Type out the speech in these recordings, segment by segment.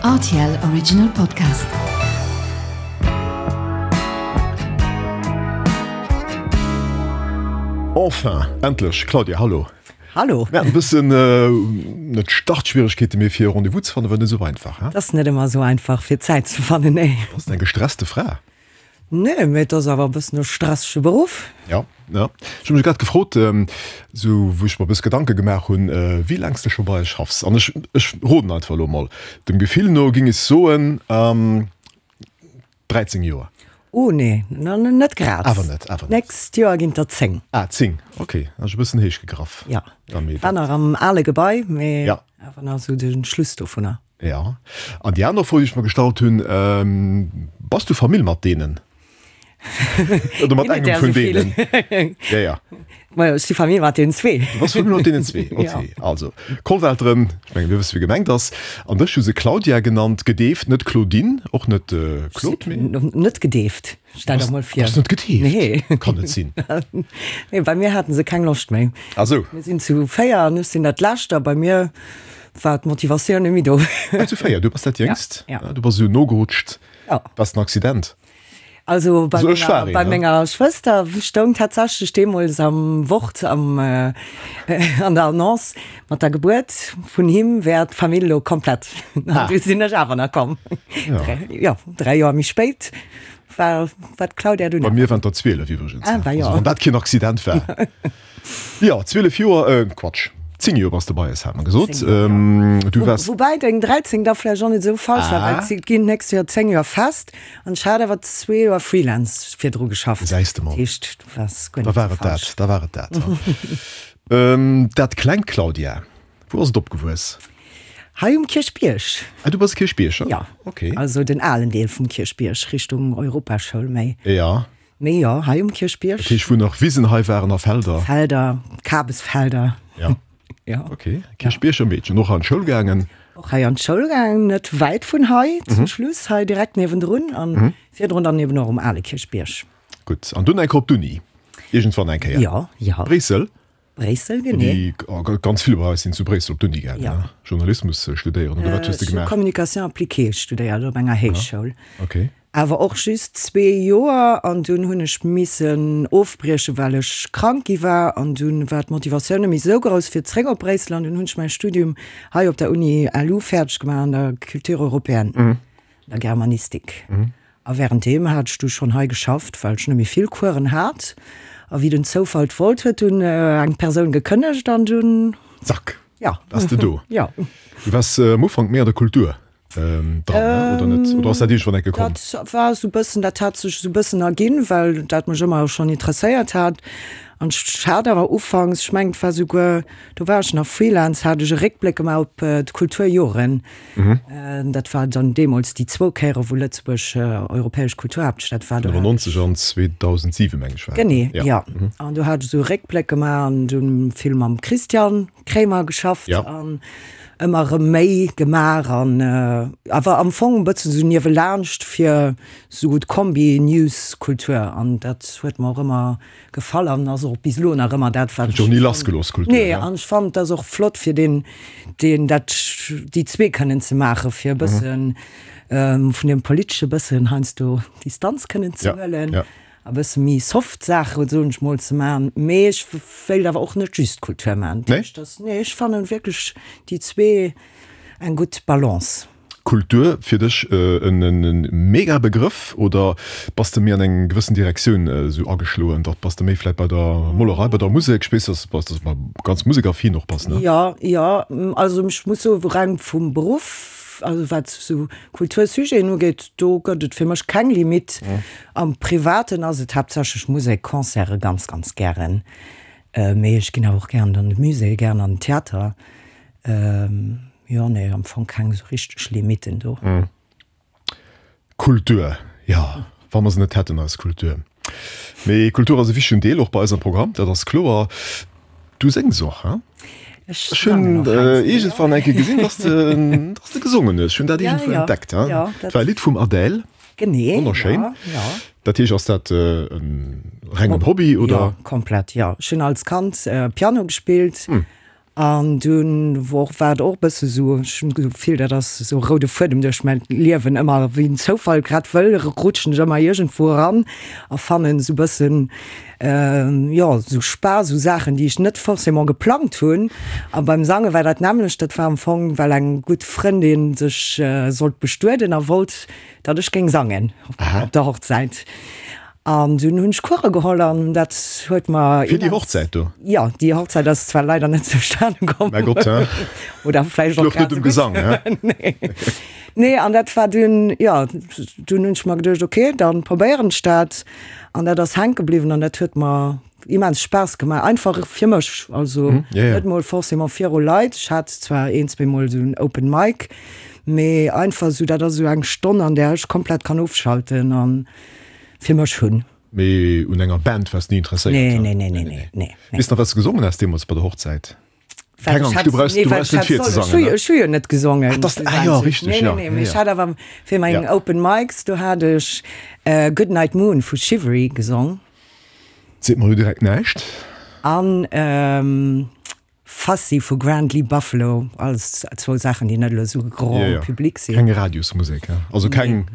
Rtl Original Podcast. Enfin, endlech! Claudia, hallo! Hallo! Mir haten e bëssen, net Startschwieregkeete, mee fir e Rendez-vous ze fannen, war net esou einfach, hein? Et ass net ëmmer esou einfach, fir Zäit ze fannen, nee. Bass de eng gestresste Fra? Nee, mee et ass awer e bëssen e stressege Beruff. Ja, ja. Ech hu mech grad gefrot, esou wou ech mer e bësse Gedanke gemaach hunn, wéi laang s de scho bei eis schaffs. An ech, ech roden einfach elo mol. Dem Gefill no géing ech soen, 13 Joer. Oh nee, net grad. Awer net, awer net. D'nächst Joer ginn et der 10. Ah, 10, okay. Ech e bëssen héich gegraff. Ja, war nach am ale Gebai, mee awer nach esou de Schluss dovunner. Ja. An déi aner Fro, déi ech mer gestallt hunn, Bass du Famill mat deenen? Oder mat engem vun deenen? Ja, ja. Majo, ech si Famill mat deenen zwee. Du bass Famill mat deenen zwee, okay. Ja. Also, Kollwelteren, ech mengen, mir wësse wie gemengt ass. An dech hu se Claudia genannt, gedeeft, net Claudine, och net Claude, mee. Net gedeeft. Stell der mol vir. Bass net gedeeft? Nee. Kann net sinn. Nee, bei mir haten se keng Loscht méi. Ah sou. Mir sinn zu 4 an ech sinn dat lescht a bei mir war d'Motivatioun net méi do. Ah, zu 4, du bass dat jéngst? Ja. Du bass esou nogerutscht. Ja. War et en Accident? Also bei menger, bei menger Schwëster stoung tatsächlech deemools am Wort am an der Annonce, mat der Gebuert vun him wär d'Famill elo komplett. An du sinn ech awer nach komm. Ja. Jo, 3 Joer méi spéit war war d'Claudia dunn. Bei mir waren et der 12 iwwregens. Ah, bah jo. Also wann dat keen Accident war. Jo, 12 Joer, äh Quatsch, 10 Joer bass de bei eis, hat mer gesot. 10 Joer, ja. Du waars. Woubäi deng 13 da vläicht och net esou falsch war, well et ginn d'nächst Joer 10 Joer fest an ech hat awer zwee Joer Freelance virdru geschafft. Gesäis de mol. Dat heescht, du waars guer Da net war esou et dat, falsch. da war et dat. Dat klengt Claudia, wou ass et opgewuess? Hei um Kierchbierg. Ah, du bass Kierchbierger? Ja. Okay. Also den alen Deel vum Kierchbierg, Richtung Europaschoul méi. Ja. Mee jo, hei um Kierchbierg. Dat heescht, wou nach Wisen hei waren a Felder? Felder, Kabesfelder. Ja. Ja. Okay. Kierchbierger Meedchen, och an d'Schoul gaangen? Och hei an d'Schoul gaangen, net wäit vun hei, zum Schluss hei direkt niewendrun an virdrun dann eben och um ale Kierchbierg. Gutt. An dunn eng Kéier op d'Uni? Iergendwann eng Kéier? Jo, jo. Bréissel? Bréissel, genee. Déi ganz vill bei eis sinn zu Bréissel op d'Uni gaangen, Ja. Journalismus studéieren, oder wat hues de Ech hu gemaach? Communication appliquée studéiert op enger Héichschoul. Okay. Awer och just zwee Joer an dunn hunn ech missen ofbriechen, well ech krank gi war an dunn war d'Motivatioun net méi esou grouss fir zréck op Bréissel an dunn hunn ech mäi Studium hei op der Uni LU fäerdeg gemaach an der Culture européenne, an der Germanistik. A wärenddeem hat ech du schonn hei geschafft, well ech net méi vill Coursen hat. A wéi den Zoufall et wollt, huet dunn eng Persoun gekënnegt an dunn. Zack, Ja. waars de do. Ja. Du waars am Ufank méi an der Kultur dran, ne? Oder net? Oder ass dat iergendwann enke komm? Dat war esou e bëssen, dat hat sech esou e bëssen erginn, well dat mech ëmmer schonn interesséiert hat. An ech hat awer ufanks, ech mengen et war souguer, do war ech nach Freelance, hat ech e Réckbléck gemaach op d'Kulturjoren. Dat war dann deemools déi zwou Kéiere wou Lëtzebuerg europäesch Kulturhaaptstad war. 95 an 2007 meng ech war dat. Genee, jo. An do hat ech esou e Réckbléck gemaach an dunn vill mam Christian Kremer geschafft an ëmmer erëm méi gemaach an awer am Fong e bëssen esou niewelaanscht fir esou d'Kombi News Kultur an dat huet mer och ëmmer Gefall an ass och bis elo nach ëmmer dat wat ech. Huet ni lass gelooss Kultur. Nee an ech fannen et ass och flott fir deen deen dat déi zwee kënnen ze maache fir e bëssen vun deem politesche bëssen heiansdo Distanz kënnen ze huelen a bësse méi soft Saache soen ech mol ze maachen. Mee ech wéilt awer och net just Kultur maachen. Nee? Nee ech fannen wierklech déi zwee eng gutt Balance. Kultur fir dech en mega Begrëff oder bass de méi an eng gewëssen Direktioun esou ageschloen? Dach bass de méi vläit bei der Molerei, bei der Musek? Ech weess, dass dass de ganz musekaffin och bass, ne? Jo, jo, also ech muss soen, reng vum Beruff, also wat esou Kultursujeten ugeet, do gëtt et fir mech keng Limite. Am Privaten ass et haaptsächlech Musek, Concerte ganz, ganz gären, mee ech ginn awer och gären an de Musée, gären an den Theater. Jo, nee, am Fong keng esou richteg Limiten do. Kultur, jo, wa mer se net hätten, eis Kultur. Mee Kultur ass e wichtegen Deel och bei eis am Programm, dat ass kloer. Du séngs och, hein? Ech Ech hunn sangen och heiansdo, jo. iergendwann eng Kéier gesinn, dass de, dass de gesongen hues. Ech hunn dat Ja, iergendwou ja, entdeckt, hein? ja, Dat war e Lidd vum Adèle. Genee, Wonnerschéin. ja, ja. Dat heescht, ass dat e rengen Hobby, oder? Jo, komplett, jo. Ech hunn als Kand Piano gespillt. An dunn wor war et och e bësse sou, ech hunn d'Gefill, dat ass esou e roude Fuedem duerch mäin Liewen, ëmmer wéi den Zoufall grad wëll, rutschen ech ëmmer iergendwou eran a fannen esou e bëssen, jo, esou Spaass u Saachen, déi ech net forcément geplangt hunn. A beim Sange war dat nämmlecht, dat war am Fong, well eng gutt Frëndin sech sollt bestueden a wollt, datt ech géing sangen op der Hochzäit. An dunn hunn ech Course geholl an dat huet mer. Fir déi Hochzäit do? Jo, déi Hochzäit ass zwar leider net zustane komm. Mäi Gott, hä? Oder vläicht och Louch net um Gesang, hä? Nee. Nee, an dat war dunn, jo, dunn hunn ech mer geduecht, okay, dann probéieren ech dat. An dat ass hänke bliwwen an dat huet mer immens Spaass gemaach, einfach fir mech, also net mol forcément viru Leit. Ech hat zwar een, zweemol esou en Open Mic, mee einfach esou, dat ass esou eng Stonn, an där ech komplett kann ofschalten an fir mech hunn. Mee un enger Band waars ni interesséiert? Nee, nee, nee, nee, nee, nee. Weess nach wat s de gesongen has deemools bei der Hochzäit? Keng Angscht, du brauchs, du brauchs net virzesangen, ne? Ech hu jo net gesongen. Ah, dass, ah jo, richteg, jo. Nee, nee, nee, mee ech hat awer fir meng Open Mics, do hat ech Goodnight Moon vu Shivery gesong. Seet mer elo direkt näischt. An Fussy vu Grand Lee Buffalo, alles zwou Saachen, déi net elo esou grand public sinn. Keng Radiosmusek, he? Also keng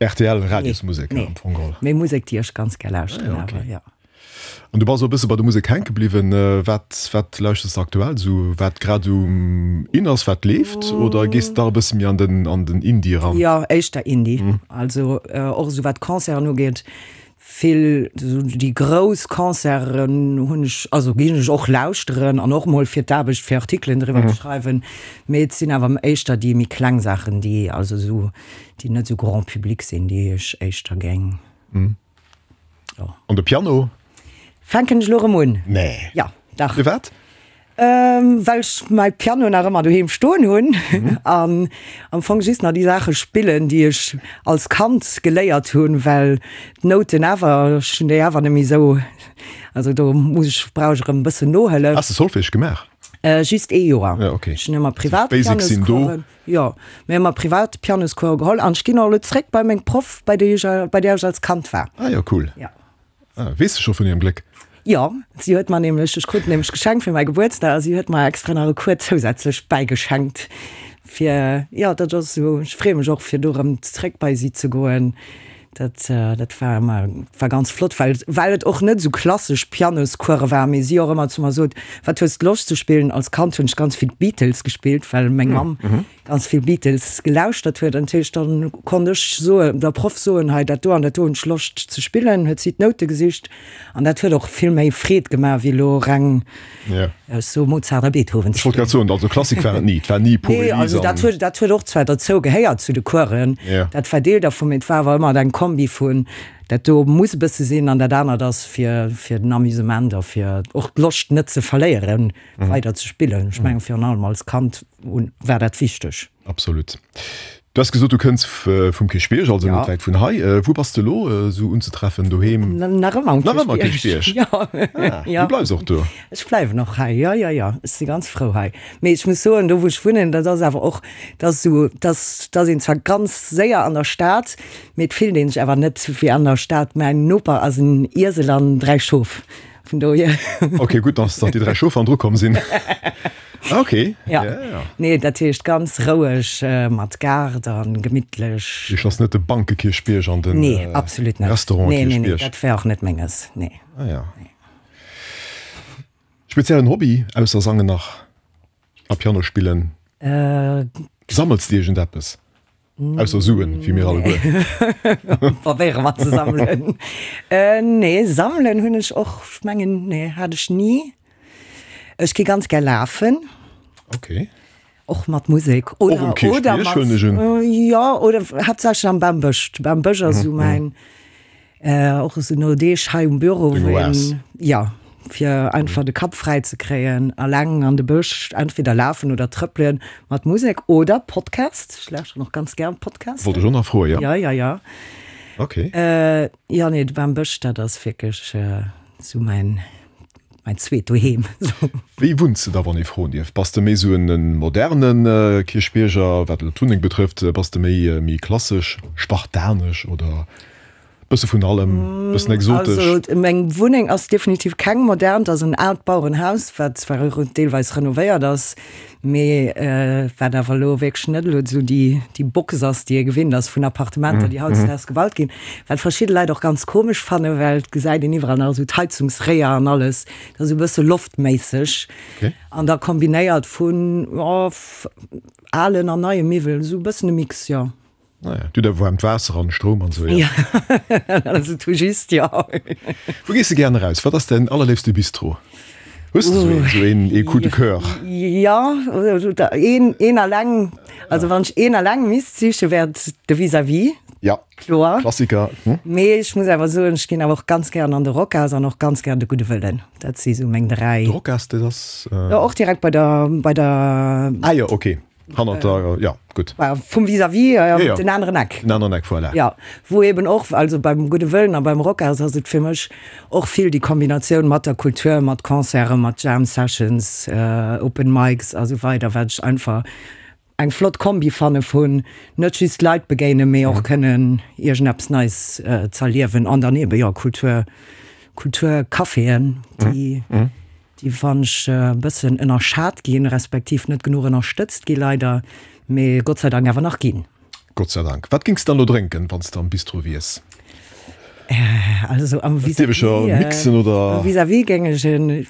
RTL-Radiosmusek am Fong geholl. Mee Musek, déi ech ganz gär lauschteren awer, jo. An du bass och e bësse bei der Musek hänke bliwwen. Wat, wat lauschters de aktuell esou, wat grad esou in ass, wat leeft? Oder gees de dach e bësse méi an den, an den Indie eran? Jo, éischter Indie. Also och esou wat Concerten ugeet, Vill esou déi grouss Concerten hunn ech, also ginn ech och lauschteren an och mol fir d'Aarbecht fir Artikelen driwwer ze schreiwen, mee et sinn awer éischter déi méi kleng Saachen, déi also esou, déi net esou grand public sinn, déi ech éischter géing, jo. An de Piano? Fänken ech elo erëm un. Nee. Jo, dach. Firwat? Well ech mäi Piano nach ëmmer doheem stoen hunn an am Fong just nach déi Saache spillen, déi ech als Kand geléiert hunn, well d'Nouten awer, ech hunn déi awer net méi esou, also do muss ech, brauch ech erëm e bëssen Nohëllef. Has de Solfège gemaach? Just ee Joer. Ja, okay. Ech hunn ëmmer privat D'Basics sinn do. Pianoscoursen, jo, mir hu ëmmer privat Pianoscours geholl an ech ginn och elo zréck bei meng Proff, bei déi ech, bei där ech als Kand war. Ah jo, cool. Ja. Ah, weess de scho vun hirem Gléck? Jo, si huet mer nämlech, ech krut nämlech geschenkt fir mäi Gebuertsdag a si huet mer extra nach e Cours zousätzlech bäigeschenkt fir, jo, dat ass esou, ech freeë mech och fir do erëm zréck bei si ze goen. Dat, dat war ëmmer, war ganz flott, well, well et och net esou klassesch Pianoscourse war, mee si och ëmmer zu mer sot, Wat hues de Loscht ze spillen? Als Kand hunn ech ganz vill d'Beatles gespillt, well meng Mamm ganz vill Beatles gelauschtert huet an heescht dann konnt ech soen der Proff soen hei dat do an dat do hunn ech Loscht ze spillen, huet si d'Noute gesicht an dat huet och vill méi Freed gemaach wéi elo reng ech soe Mozart a Beethoven ze spillen. Ech wollt grad soen, also Klassik war et ni, et war ni Pur Nee, also dat huet dat huet och zwar derzou gehéiert zu de Coursen, dat war Deel dervun, mee et war awer ëmmer eng Kombi vun dat do muss e bësse sinn an dat anert ass fir fir den Amusement a fir och d'Loscht net ze verléieren weider ze spillen. Ech mengen virun allem als Kand war dat wichteg. Absolut. Du has gesot, du kënns vum Kierchbierg, also net wäit vun hei. Wou bass de elo esou unzetreffen? Doheem? Nach ëmmer um Nach ëmmer Kierchbierg? Jo. Ah, du bleifs och do? Ech bleiwen och hei, jo, jo, jo. Ech si ganz frou hei. Mee ech muss soen, do wou ech wunnen, dat ass awer och, dat ass esou, dass, dass een zwar ganz séier an der Stad, mee et fillt ee sech awer net wéi an der Stad. Mäin Noper ass en Iesel an 3 Schof. Vun dohier. Ok, gutt, dass déi 3 Schof an dru komm sinn. Ok. Ja. Ja. Nee, dat heescht ganz roueg mat Gaart a gemittlech. Heescht ass net de Bankekierchbierg an den Nee, absolut net. Restaurant Nee, nee, nee, Kierchbierg. dat wär och net menges, nee. Ah ja. Speziellen Hobby ausser sangen nach a Piano spillen? Sammels de iergendeppes? Ausser Suen, wéi mir alleguer. Probéiere mer ze sammelen. Nee, sammelen hunn ech och, ech mengen, nee, hat ech ni. Ech gi ganz gär lafen. Okay. Och mat Musek. Och um Kierchbierg, huelen ech un. Jo, oder haaptsächlech am Bambësch. De Bambësch ass esou mäin. Och esou no Deeg hei um Büro, wou een, jo, fir einfach de Kapp fräi ze kréien, alleng an de Bësch, entweder lafen oder trëppelen, mat Musek oder Podcast. Ech lauschteren och ganz gär Podcasten. Wollt ech och nach froen, jo. Jo, jo, jo. Ok. Jo, nee, de Bambësch, dat ass wierklech esou mäin, mäin zweet Doheem. Wéi wunns de da, wann ee froen dierf? Bass de méi esou en moderne Kierchbierger, wat elo d'Wunneng betrëfft? Bass de méi, méi klassesch, spartanesch oder? Bësse vun allem, bëssen exotesch. Also meng Wunneng ass definitiv keng modern, et ass en aalt Bauerenhaus, wat zwar deelweis renovéiert ass, mee wat awer elo wierklech net elo esou déi déi Box ass, déi ee gewinnt ass vun Appartementer, déi hautdesdaags gebaut ginn. Wat verschidde Leit och ganz komesch fannen, well et gesäit een iwwerall nach esou d'Heizungsréier an alles, dat ass esou e bësse loftméisseg an da kombinéiert vun, jo, alen an neie Miwwelen, esou e bëssen e Mix, jo. Naja, du da waarmt Waasser an Stroum an sou, jo. Also tout juste, jo. Wou gees de gären eraus? Wat ass däin allerléifste Bistro? Hues de sou een, sou een, ee Coup de coeur? Jo, een, een alleng, also wann ech een alleng misst sichen, wär et de Vis-à-vis. Ja, Kloer. Klassiker. Mee ech muss awer soen, ech ginn awer och ganz gären an de Rocas an och ganz gären de Gudde Wëllen. Dat si sou meng 3. De Rocas, dat ass? Jo, och direkt bei der, bei der. Ah jo, okay. Hannert der, ja, gutt. Vum Vis-à-vis, ja, ja. Den aneren Eck. Den aneren Eck, voilà. Ja, wou eben och, also beim Gudde Wëllen a beim Rocas ass et fir mech och vill déi Kombinatioun mat der Kultur, mat Concerten, mat Jam Sessions, Open Mics a sou weider, wat ech einfach eng flott Kombi fanne vun net just Leit begéinen, mee och kënnen iergendeppes Neies z'erliewen an dann eben, jo, Kultur, Kulturcaféen, déi. Déi wann ech e bëssen ënnerschat ginn, respektiv net genuch ënnerstëtzt gi leider, mee Gott sei Dank awer nach ginn. Gott sei Dank. Wat géings de dann elo drénken, wann s de am Bistro wiers? Also am Vis-à-vis, Dierf ech jo mixen oder? Am Vis-à-vis géing ech en,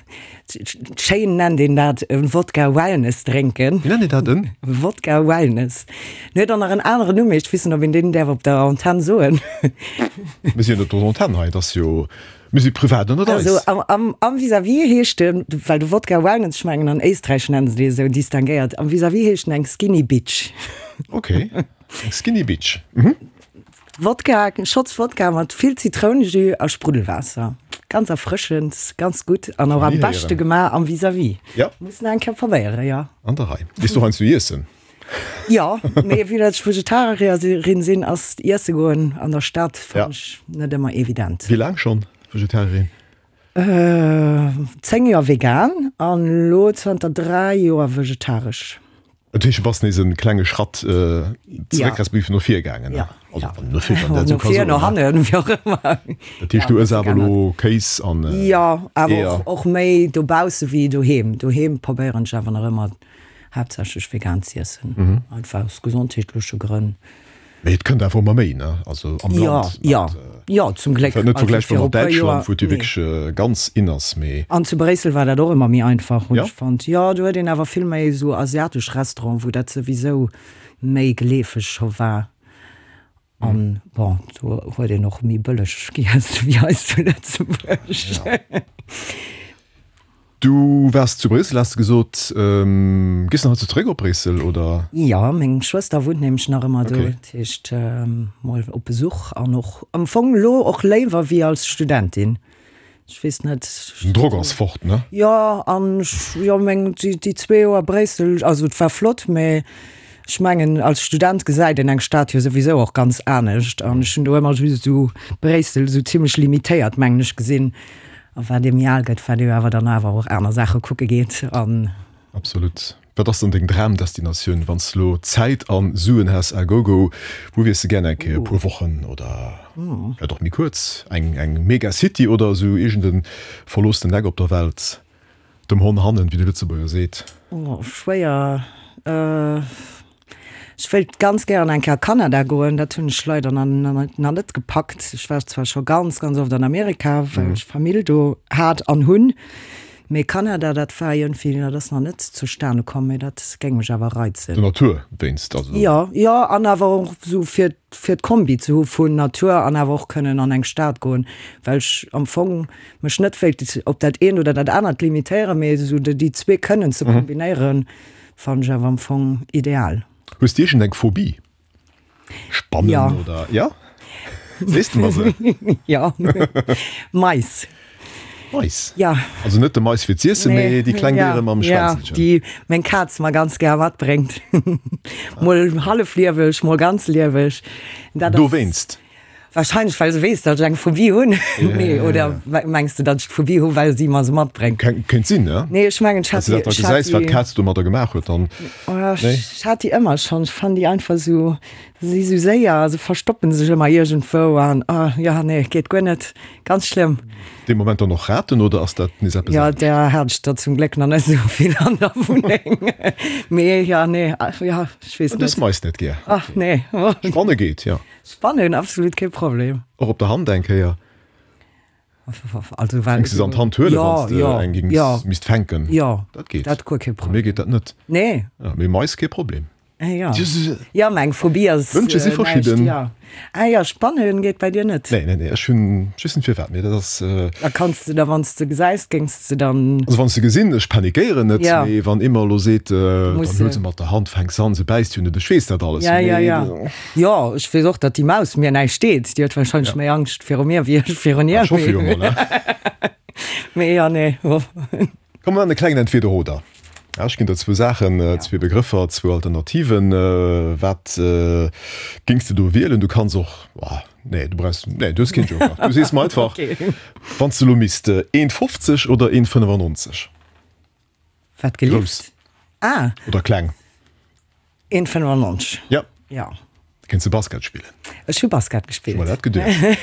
schéin nennt een dat, e Wodka Wellness drénken. Wéi nennt een dat? En? Wodka Wellness. En huet och nach en aneren Numm, mee ech weess net, ob een deen däerf op der Antenn soen. Mir sinn jo net op der Antenn hei, et ass jo Mir si privat ënnert eis. Also am, am, am Vis-à-vis heescht en, well de Wodka Wellness, ech mengen an Éisträich nennen se dee esou distinguéiert, am Vis-à-vis heescht en eng Skinny Bitch. Ok, eng Skinny Bitch. Mhm. Wodka, Shots Wodka mat vill Zitrounejus a Spruddelwaasser. Ganz erfrëschend, ganz gutt an och am beschte gemaach am Vis-à-vis. Ja. Muss en eng Kéier probéieren, jo. An der Rei. Gees du heiansdo iessen? Jo, mee vue dat ech Vegetarierin sinn, ass iesse goen an der Stad fannen ech net ëmmer evident. Wéi laang schonn Vegetarierin? 10 Joer vegan an elo zanter 3 Joer vegetaresch. Dat heescht, du bass nees e klenge Schratt zeréck respektiv no vir gaangen? Jo. Also wann no vir, wann dat esou ka soen. No vir, no hannen, wéi och ëmmer. Dat heescht, du ëss awer elo Kéis an Eeër? Jo, awer och méi dobausse wéi doheem. Doheem probéieren ech awer nach ëmmer Haaptsächlech vegan z'iessen, einfach aus gesondheetleche Grënn. Mee et kënnt awer ëmmer méi, ne? Also am Land. Jo, jo, jo, zum Gléck. Net vergläichbar mat Däitschland, wou et jo wierklech ganz in ass, mee. An zu Bréissel war dat och ëmmer méi einfach, hunn ech fonnt. Jo, do huet een awer vill méi esou asiatesch Restauranten, wou dat souwisou méi geleefeg scho war. An bon, do huet een och méi bëlleg giess wéi hei zu Lëtzebuerg. Du waars zu Bréissel, has de gesot. Gees de nach heiansdo zeréck op Bréissel, oder? Jo, meng Schwëster wunnt nämlech nach ëmmer do. Dat heescht, mol op Besuch an och am Fong elo och léiwer wéi als Studentin. Ech weess net. Den Drock ass fort, ne? Jo, an ech, jo, meng, déi zwee Joer Bréissel, also et war flott, mä ech mengen, als Student gesäit een eng Stad jo souwisou och ganz anescht. An ech hunn do ëmmer just esou Bréissel esou zimlech limitéiert, mengen ech, gesinn. A wat ee méi al gëtt, wat ee awer dann awer och aner Saache kucke geet an. Absolut. Wat ass dann deng Dramdestinatioun, wann s de lo Zäit an Suen häss à gogo, wou wiers de gär eng Kéier e puer Wochen oder vläit och méi kuerz? Eng eng Megacity oder esou iergend e verloossenen Eck op der Welt, dem Honn hannen, wéi de Lëtzebuerger seet? Oh, schwéier. Ech wéilt ganz gären eng Kéier a Kanada goen, dat hunn ech leider nach net gepackt. Ech war zwar scho ganz, ganz oft an Amerika, well ech Famill do hat an hunn, mee Kanada, dat war iergendwéi, dat ass nach net zustane komm, mee dat géing mech awer reizen. Der Natur wéinst also? Jo, jo, an awer och esou fir, fir d'Kombi ze hu vun Natur an awer och kënnen an eng Stad goen, well ech am Fong mech net wéilt op dat eent oder dat anert limitéieren, mee esou déi zwee kënnen ze kombinéieren. Fannen ech awer am Fong ideal. Hues de iergend eng Phobie? Spannen ja. oder ja? Sees de mer se? Ja. Mais. Mais? Ja. Also net de Mais fir z'iessen, nee, mee déi kleng ja, Déiere mam Schwänzelchen. Ja, déi meng Kaz mer ganz gär matbréngt. Mol hallef lieweg, mol ganz lieweg. Dat ass. Dowéinst? Wahrscheinlech well se weess, datt ech eng Phobie hunn. Nee, oder mengs de, datt ech d'Phobie hu well si mer se matbréngt? Kéint sinn, ne? Nee, ech mengen, ech hat déi. Wann s de dat da gesäis, wat d'Kaz domadder gemaach huet, dann. Nee? Ech hat déi ëmmer schonn. Ech fannen déi einfach esou. Si sou séier, se verstoppen sech ëmmer iergendwou an oh jo nee, geet guer net, ganz schlëmm. Dee Moment dann och Raten oder ass dat nees eppes anescht? Jo, där hat ech der zum Gléck nach net esou vill an der Wunneng. Mee jo, nee, jo, ech weess net. Du hues Mais net gär? Ach nee. Spanne geet, jo. Spannen, absolut kee Problem. Och op der Hand eng Kéier? Also well Géings de se an d'Hand huelen, wann s de eng géings misst fänken? Jo, dat geet. Dat guer kee Problem. Mir geet dat net. Nee. Mee Mais kee Problem. Ah ja. Ja, mä eng Phobie ass Wënsche si verschidden. Ja. Ah ja, Spannen geet bei dir net? Nee, nee, nee, ech hunn, ech weess net firwat, mee dat ass. Da kanns de da, wann s de gesäis, géings de dann. Also wann ech se gesinn, ech panikéieren net, Ja. mee wann ee mer elo seet, dann huel se mat der Hand, fänk se an, se bäisst jo net, ech weess dat alles, Ja, ja, ja. Jo, ech weess och, datt déi Maus mir näischt deet. Déi huet warscheinlech méi Angscht viru mir wéi ech virun hir. Ech hoffe jo mol, ne? Mee ja, nee. Komm mer maachen e klengen Entweder-oder. Ech ginn der zwou Saachen, zwee Begrëffer, zwou Alternativen. Wat géings de do wielen? Du kanns och, nee, du brauchs, nee, du hues keen Joker. Du sees mer einfach, wann s de elo misst, 1,50 oder 1,95? Wat gelift? Grouss. Ah. Oder kleng? 1,95. Ja. Ja. Kéints de Basket spillen? Ech hu Basket gespillt. Ech hu mer dat geduecht.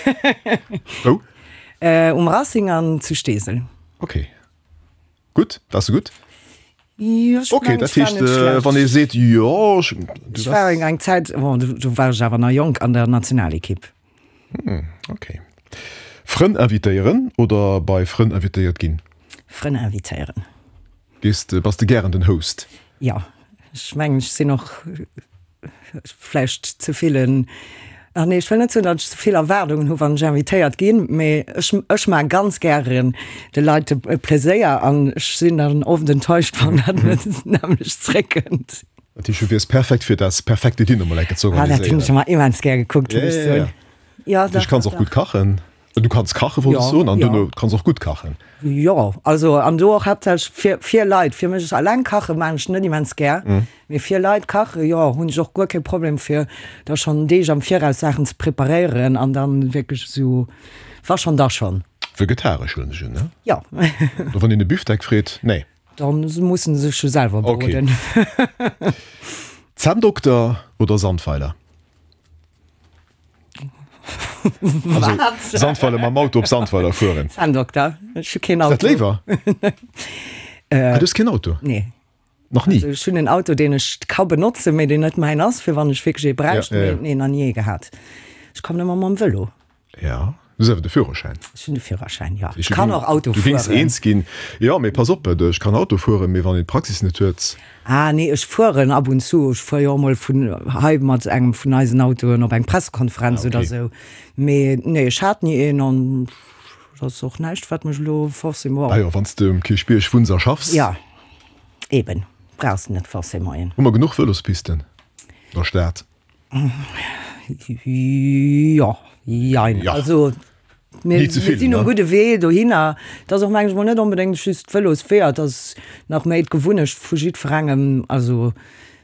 Wou? Um Racing an zu Steesel. Okay. Gutt? Waars de gutt? Jo, ech Okay, mengen, dat ech war heescht, net schlecht. wann ee seet, jo, ech, du Ech war waars. eng Zäit, bon, do, do war ech awer nach jonk, an der Nationalekipp. Hm, okay. Frënn invitéieren oder bei Frënn invitéiert ginn? Frënn invitéieren. Gees de, bass de gären den Host? Jo, ech mengen, ech sinn och vläicht ze vill en, ach nee, ech wëll net soen, datt ech ze vill Erwaardungen hu wann ech invitéiert ginn, mee ech, ech maache ganz gären de Leit e Pleséier an ech sinn dann oft enttäuscht, wann dat net nämmlecht zréckkënnt. Dat heescht, du wiers perfekt fir das perfekte Dinner mol enke ze Ah, dat hunn organiséieren. ech ëmmer immens gär gekuckt, muss ech Ja, ja, ja. soen. Ja, Du dach, kanns och dach. gutt kachen. Du kanns kachen, wollt ech Ja, soen, an ja. duerno kanns och gutt kachen. Jo, also an do och haaptsächlech fir, fir Leit. Fir mech alleng kache maan ech net immens gär, mee fir Leit kache, jo, hunn ech och guer kee Problem fir da schonn Deeg am Viraus Saachen ze preparéieren an dann wierklech esou, wa schonn, da schonn. Vegetaresch huelen ech un, ne? Jo. Oder wann een e Büfteck freet, nee? Dann mussen se sech jo selwer Okay. broden. Zänndokter oder Sandweiler? Also, Sandweiler mam Auto op Sandweiler fueren. Zänndokter. Ech hu keen Auto. Ass dat léiwer? Ah, du hues keen Auto? Nee. Nach ni? Also, ech hunn en Auto, deen ech ka benotzen, mee deen net mäin ass, fir wann ech wierklech ee bräicht. Ja, ja, ja. Mee nee, nach ni ee gehat. Ech kommen ëmmer mam Vëlo. Ja, du hues awer de Führerschäin. Ech hunn de Führerschäin, jo. Ech kann och Auto Du géings fueren. eens ginn. Jo, mee pass op, ech kann Auto fueren, mee wann een d'Praxis net huet. Ah nee, ech fueren ab und zu. Ech fuer jo och mol vun hei mat engem vun eisen Autoen op eng Pressekonferenz Ah, okay. oder esou. Mee nee, ech hat ni een an dat ass och näischt, wat mech elo forcément. Ah jo, wann s de um Kierchbierg wunns a schaffs. Ja, eben, brauchs de net forcément een. Hu mer genuch Vëlospisten an der Stad? Jo, jein. Ja. Also mir, Ni ze mir vill, sinn um ne? gudde Wee dohinner. Et ass och mengen ech mol net onbedéngt just d'Vëlosweeër, et ass nach méi d'Gewunnecht vu jiddwerengem, also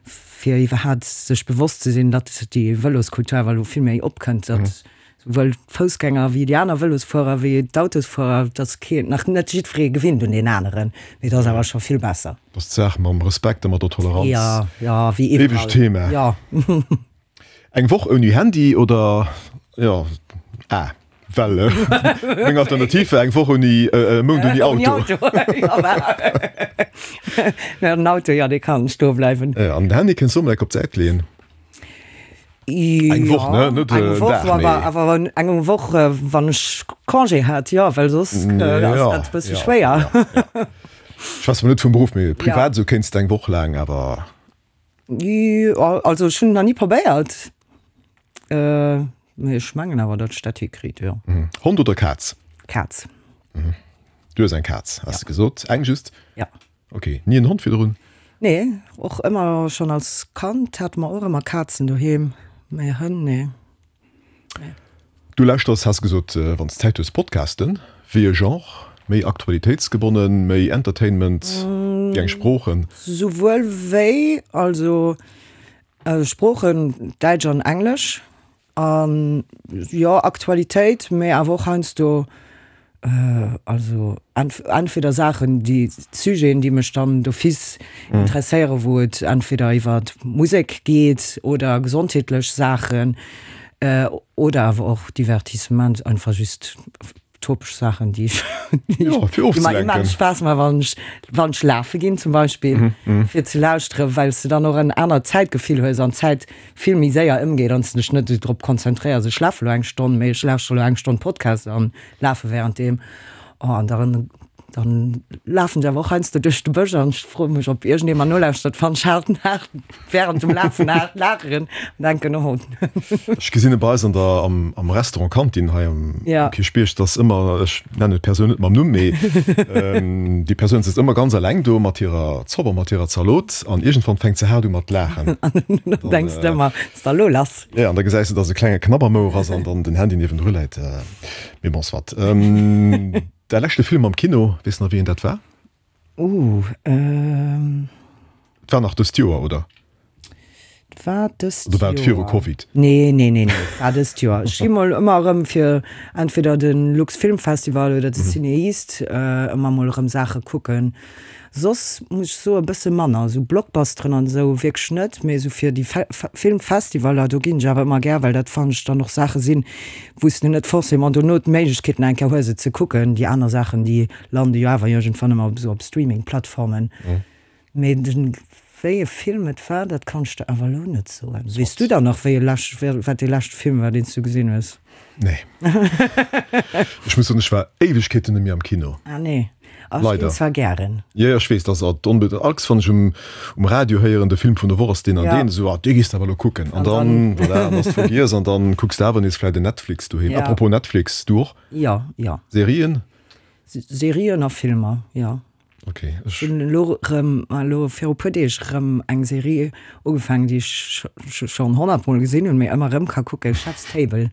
fir iwwerhaapt sech bewosst ze sinn, datt déi Vëloskultur awer elo vill méi opkënnt, datt souwuel d'Foussgänger wéi déi aner Vëlosfuerer wéi d'Autosfuerer, datt keen, nach net jiddweree gewinnt un deen aneren, mee et ass awer scho vill besser. Dat ass d'Saach mam Respekt a mat der Toleranz. Ja, ja, wéi iwwerall. Ewegt Thema. Ja. Eng Woch ouni Handy oder, jo, ah, well meng Alternativ war eng Woch ouni, e Mount ouni Auto. Ouni Auto. Den Auto, jo, dee kann stoe bleiwen. Jo, an den Handy kënns du och mol enk op d'Säit leeën. Eng Woch, ne? Net eng en Woch, Dag, mee. awer awer eng Woch, wann ech Congé hat, jo, well soss ass dat e bësse schwéier. Ech schwätze mol net vum Beruff, mee privat esou kéints de eng Woch laang awer. Jo, also ech hunn et nach ni probéiert, mee ech mengen awer, datt ech dat hikritt, jo. Hond oder Kaz? Kaz. Du hues eng Kaz, has de gesot. Eng just? Ja. Ok, ni en Hond virdrun? Nee, och ëmmer schonn als Kand hate mer och ëmmer Kazen doheem, mee Hënn, nee. Nee. Du lauschters, has gesot, wann s Zäit hues, Podcasten. Wéi e Genre? Méi aktualitéitsgebonnen, méi Entertainment? Wéi eng Sproochen? Souwuel wéi, also Sproochen, Däitsch an Englesch. An jo, Aktualitéit, mee awer och heiansdo. Also entweder Saachen, déi Sujeten, déi mech dann d'office interesséieren, wou et entweder iwwer Musek geet oder gesondheetlech Saachen oder awer och Divertissement, einfach just topesch Saachen, déi ech, déi mer immens Spaass maachen, wann ech, wann ech lafe ginn zum Beispill, fir ze lauschteren, well s de dann och en anert Zäitgefill hues an d'Zäit vill méi séier ëmgeet an s de dech net esou drop konzentréiers, ech lafe lo eng Stonn, mee ech lauschtere lo eng Stonn Podcast an lafe währenddeem. Oh, an dann, dann lafen ech awer och heiansdo duerch de Bësch an ech froe mech, ob iergendee mer nolauschtert, wann ech haart, haart während dem Lafen haart laachen an denken, oh. Ech gesinn e bei eis an der, am, am Restaurant Kantin hei am Ja. Kierchbierg, dass ëmmer, ech nennen d'Persoun net mam Numm, mee déi Persoun sëtzt ëmmer ganz eleng do mat hirer Zopp a mat hirer Zalot an iergendwann fänkt se haart u mat laachen. An dann denks de ëmmer, Ass da lo lass? Ja, an da gesäis de, dass e klenge Knabbermouer ass an dann den Handy niewendru läit. Mee bon, soit. Däi leschte Film am Kino, weess de nach wéi een dat war? Ooh, ehm. Et war nach dëst Joer, oder? Et war dëst Joer. Oder war et viru Covid? Nee, nee, nee, nee, et war dëst Joer. Ech gi mol ëmmer erëm fir entweder de Lux Film Festival oder de CinEast ëmmer mol erëm Saache kucken. Soss muss ech soen e bësse manner, esou Blockbusteren an esou wierklech net, mee esou fir déi Filmfestivaler, do ginn ech awer ëmmer gär, well dat fannen ech dann och Saache sinn, wou s de net forcément dono d'Méiglechkeet nach eng Kéier hues et ze kucken. Déi aner Saachen, déi lande jo awer iergendwann ëmmer op esou op Streaming-Plattformen. Mee den, wéi e Film et war, dat kann ech der awer elo net soen. Weess du dann nach wéi e lescht, wat dee leschte Film war, deen s du gesinn hues? Nee. Ech muss soen, ech war Éiwegkeeten net méi am Kino. Ah nee. Ach, ech ginn zwar gären. Jo, jo, ech weess, dass et onbedéngt, all wann ech um, um Radio héieren, de Film vun der Woch ass deen an deen, esou, ah, dee gees de awer elo kucken. An dann, voilà, an ass vergiess an dann kucks de awer nees vläit en Netflix doheem. Ja. Apropos Netflix, du och? Jo, jo. Serien? Serien a Filmer, jo. Ok, ech. Hunn elo rëm, elo viru puer Deeg rëm eng Serie ugefaangen, déi ech schonn honnertmol gesinn hunn, mee ëmmer rëm ka kucken, Chef's Table.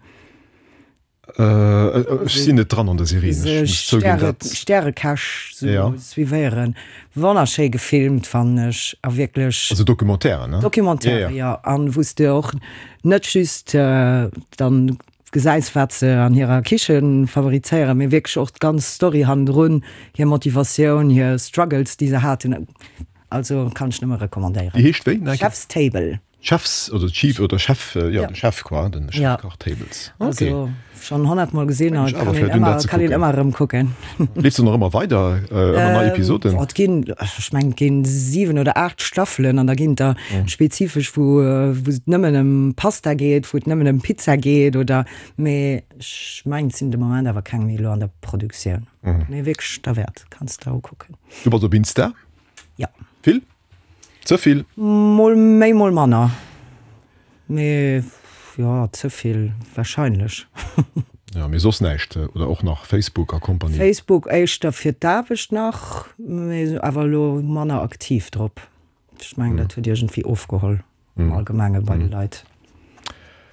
Ech sinn net dran an der Serie, ech muss zouginn, dat. Stärekäch sou suivéieren. Wonnerschéi gefilmt, fannen ech, a wierklech. Also Documentairen, ne? Documentaire, jo. An wou s de och net just dann gesäis, wat se an hirer Kiche favorizéieren, mee wierklech och d'ganz Story hannendrun, hir Motivatioun, hir Struggles, déi se haten. Also kann ech nëmme recommandéieren. Déi heescht wéi? Chef's Table. Chefs oder Chief oder Chef, jo de Chef quoi, den Chefkach Tables. Ok. Also schon honnertmol gesinn a kann een ëmmer, kann een ëmmer erëm kucken. Leeft se nach ëmmer weider, ëmmer nei Episoden? Oh, et ginn, ech mengen et ginn 7 oder 8 Staffelen an da ginn der spezifesch wou wou et nëmmen ëm Pasta geet, wou et nëmmen ëm Pizza geet oder, mee ech mengen et sinn de Moment awer keng méi elo an der Produktioun. Mee wierklech derwäert, kanns de der ukucken. Du bass op Insta? Jo. Vill? Ze vill? Mol méi, mol manner. Mee jo, ze vill wahrscheinlech. Jo, mee soss näischt? Oder och nach Facebook a Compagnie? Facebook éischter fir d'Aarbecht nach, mee awer elo manner aktiv drop. Ech mengen, dat huet iergendwéi ofgeholl am Allgemenge bei de Leit.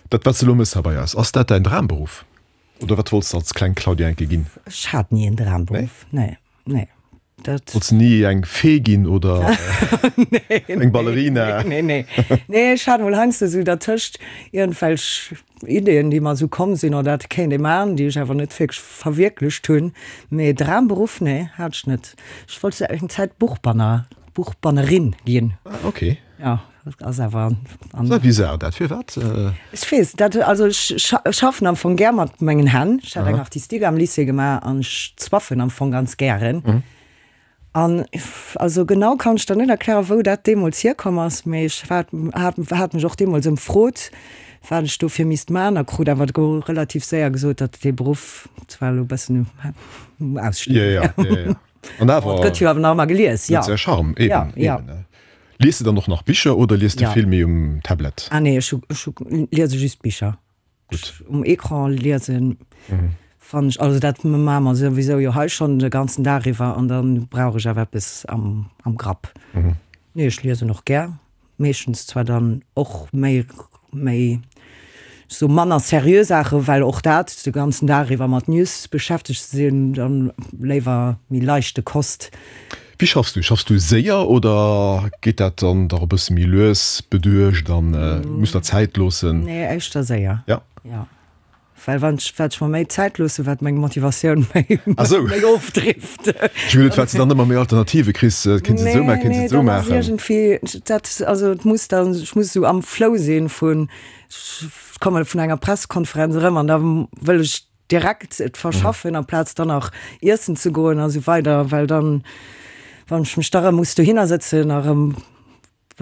Dat, wat s de elo méchs hei bei eis, ass dat däin Dramberuff? Oder wat wollts de als kleng Claudia enke ginn? Ech hat ni en Dramberuff, nee, nee. Dat. Wollts de ni eng Fee ginn oder eng Ballerina? Nee, nee, nee. Ech hat mol heiansdo esou dertëscht iergendwelch Ideeën, déi mer esou komm sinn, oh dat kéint ee maachen, déi ech awer net wierklech verwierklecht hunn. Mee Dramberuff, nee, hat ech net. Ech wollt eng Zäit Buchbanner, Buchbannerin ginn. Ah, okay. Ja, dat ass awer an. Ass bizar dat, firwat? Ech weess dat, also ech schaffen am Fong gär mat mengen Hänn. Ech hat eng Artistique am Lycée gemaach an ech zwaffen am Fong ganz gären. An also genau kann ech der net erklären, wou dat deemools hierkomm ass, mee ech hat hat mech och deemools ëmfrot, wat ech dofir misst man a krut awer relativ séier gesot, datt dee Beruff zwar elo e bëssen um Ausstierwe wär. An awer. Et gëtt jo awer nach ëmmer gelies, jo. Huet säi Charme, eben, ja, ja. eben. Liest de dann och nach Bicher oder liest de vill méi um Tablet? Ah nee, ech hu, ech hu, liese just Bicher. Gutt. Um Ecran liesen fannen ech, also dat maache mer souwisou jo hei schonn de ganzen Dag iwwer an da brauch ech awer eppes am, am Grapp. Nee, ech liesen och gär. Meeschtens zwar dann och méi, méi sou manner seriö Saachen, well och dat de ganzen Dag iwwer mat News beschäftegt ze sinn, dann léiwer méi leichte Kost. Wéi schaffs du? Schaffs du séier oder geet dat dann dach e bësse méi lues, beduecht an muss der Zäit loossen? Nee, éischter séier. Ja? Ja. Well wann ech, wat ech mer méi Zäit loosse, wat meng Motivatioun méi, Ah sou. méi ofdrift. Ech hunn geduet, wat s de dann ëmmer méi Alternative kriss, kéints et esou maachen, kéints et esou maachen. Nee, nee, dann ass iergendwéi, dat, also et muss dann, ech muss esou am Flow sinn vun, ech komme vun enger Pressekonferenz erëm an da wëll ech direkt et verschaffen, amplaz dann nach iessen ze goen a sou weider, well dann, wann ech mech da erëm muss dohinner sëtzen a erëm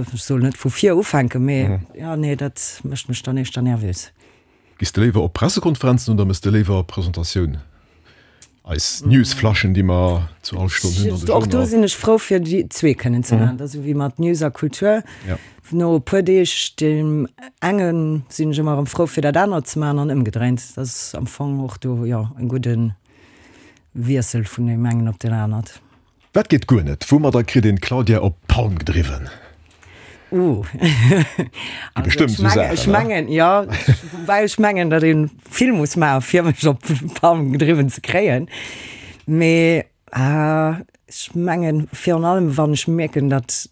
Ech soll net vu vir ufänken, mee jo, nee, dat mécht mech dann éischter nervös. Gees de léiwer op Pressekonferenzen oder mëss de léiwer Presentatioun? Eis Newsflaschen, déi mer zu all Stonn hunn an de Och do sinn ech frou, fir déi zwee kënnen ze maachen. Dat ass esou wéi mat News a Kultur. No e puer Deeg deem enge sinn ech ëmmer erëm frou, fir dat anert ze maachen an ëmgedréint. Dat ass am Fong och do, jo, e gudde Wiessel vun deem engen op deen anert. Wat geet guer net? Woumadder kritt een d'Claudia op d'Palm gedriwwen? Ooh. Gi bestëmmt esou Saachen, Ech mengen, jo, woubäi ech mengen, datt ee vill muss maachen, fir mech op d'Palm gedriwwen ze kréien. Mee ech mengen, virun allem wann ech mierken, datt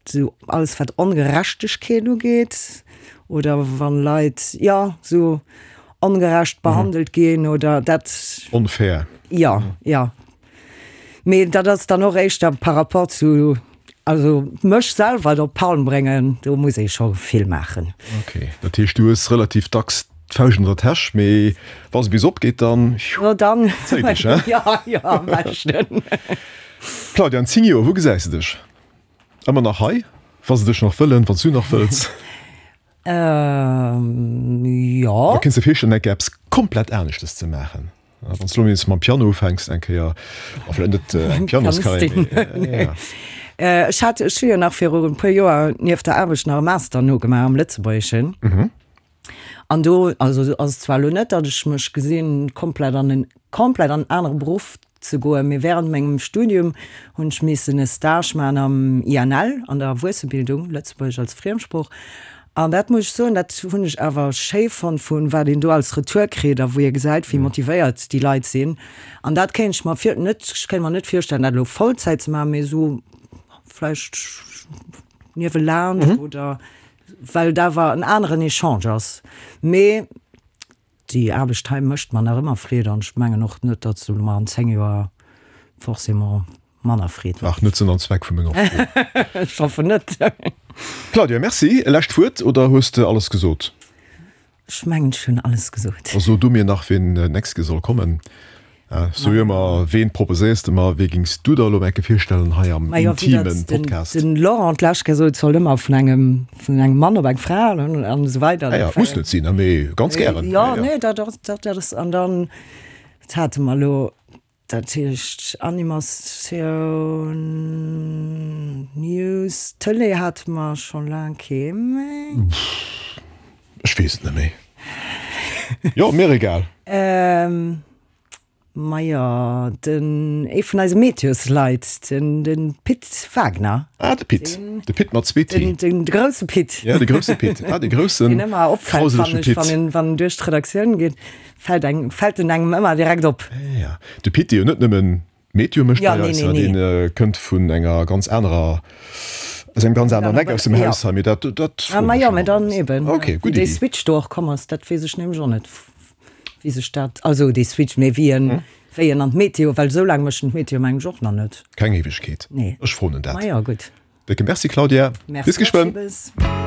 Sou alles wat Ongerechtegkeet ugeet oder wann Leit, jo, sou ongerecht behandelt ginn oder dat. Onfair. Jo, jo. Mee dat ass dann och éischter par rapport zu, also mech selwer op d'Palm bréngen, do muss ee scho vill maachen. Ok, dat heescht du hues relativ dacks d'Fauscht an der Täsch, mee wa se bis opgeet, dann Jo, dann zéi dech, he? Jo, jo, am beschten. Claudia, an 10 Joer, wou gesäis de dech? Ëmmer nach hei, wa se dech nach wëllen, wann s du nach wëlls. Jo. Da kéints de virstellen, eng Kéier eppes komplett aneschtes ze maachen. Wann s du elo nees mam Piano ufänks eng Kéier, a vläicht net eng Pianoscarrière, mee jo. Ech hat, ech hu jo nach viru e puer Joer nieft der Aarbecht nach e Master nogemaach am Lëtzebuergeschen. An do, also ass et zwar elo net, datt ech mech gesinn, komplett an en komplett an en anere Beruff ze goen, mee während mengem Studium hunn ech missen e Stage maachen am INL, an der Erwuessebildung, Lëtzebuergesch als Friemsprooch. An dat muss ech soen, dat hunn ech awer schéi fonnt, vu wat een do als Retour kritt a wou ee gesäit, wéi motivéiert déi Leit sinn. An dat kéint ech mer vir, net, ech kéint mer net virstellen, dat elo Vollzäit ze maachen, mee esou vläicht niewelaanscht oder well et awer en aneren Echange ass. Mee déi Aarbecht hei mécht mer nach ëmmer Freed an ech mengen och net, datt se mer an 10 Joer forcément manner Freed mécht. Ach, net Sënn an Zweck vu menger Fro. Ech hoffen net. Claudia, Merci. E lescht Wuert oder hues de alles gesot? Ech mengen ech hunn alles gesot. Da so du mir nach ween nächst Keer soll kommen. So ëmmer ween proposéiers de mer, wee gings du der elo enke virstellen hei am intimen Podcast? Den Laurent d'lescht Kéier sot, et sollt ëmmer vun engem vun engem Mann op eng Fra an esou weider. Ah ja, muss net sinn, mee ganz gären. Jo, nee, dat ass, dat ass, an dann, wat hate mer elo, dat heescht Animatioun, News, Tëlee hate mer scho laang kee méi. Ech weess et net méi. Jo, mir egal. Majo, den, ee vun eise Meteosleit, den, den Pit Wagner. Ah, de Pit. De Pit mat zwee T. Den, den grousse Pit. Ja, de grousse Pit. Ah, de groussen, Deen ëmmer opfält, fannen ech, wann en, wann en duerch d'Redaktioun geet, fält eng, fält en engem ëmmer direkt op. Ja, de Pit, dee jo net nëmmen Meteo mécht bei eis, deen kënnt vun enger ganz anerer, aus engem ganz aneren Eck aus dem Haus hei, mee dat, dat froen ech jo, mee dann eben, Ok, gutt Wéi dee Switch do och komm ass, dat weess ech nämlech och net, wéi sech dat, also dee Switch, mee wéi en, wéi en an d'Meteo, well esou laang mécht en d'Meteo mengen ech och nach net. Keng Éiwegkeet. Nee. Ech froen en dat. Ma jo, gutt. Décke Merci Claudia. Merci Bis geschwënn. och, Schibes.